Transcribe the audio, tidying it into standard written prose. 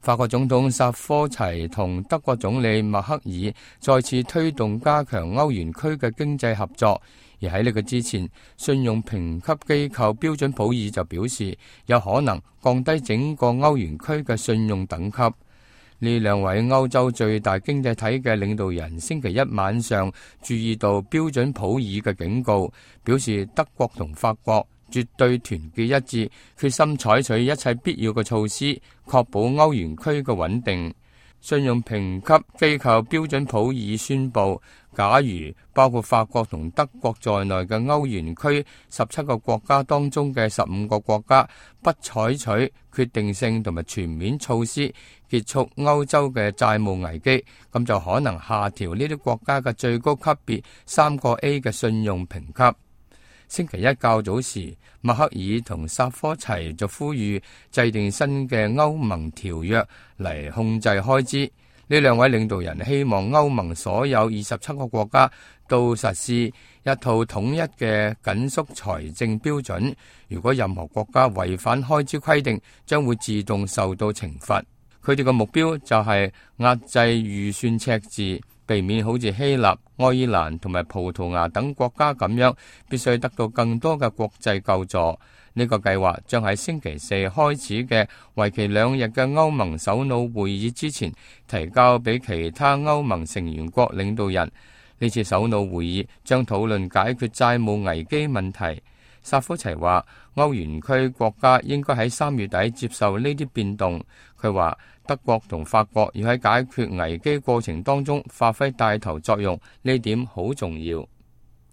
法國總統薩科齊同德國總理默克爾再次推動加強歐元區嘅經濟合作，而喺呢個之前，信用評級機構標準普爾就表示有可能降低整個歐元區嘅信用等級。呢兩位歐洲最大經濟體嘅領導人星期一晚上注意到標準普爾嘅警告，表示德國同法國絕對團結一致，決心採取一切必要嘅措施，確保歐元區嘅穩定。信用評級機構標準普爾宣布，假如包括法國同德國在內嘅歐元區17個國家當中嘅15個國家不採取決定性同埋全面措施結束歐洲嘅債務危機，咁就可能下調呢啲國家嘅最高級別3個 A 嘅信用評級。星期一較早時，默克爾同薩科齊就呼籲制定新嘅歐盟條約嚟控制開支。呢兩位領導人希望歐盟所有27個國家都實施一套統一嘅緊縮財政標準。如果任何國家違反開支規定，將會自動受到懲罰。佢哋嘅目標就係壓制預算赤字，避免好似希臘、愛爾蘭同埋葡萄牙等國家咁樣，必須得到更多嘅國際救助。呢個計劃將喺星期四開始嘅為期2日嘅歐盟首腦會議之前提交俾其他歐盟成員國領導人。呢次首腦會議將討論解決債務危機問題。薩科齊話，歐元區國家應該喺3月底接受呢啲變動。佢話德國同法國要喺解決危機過程當中發揮帶頭作用，呢點好重要。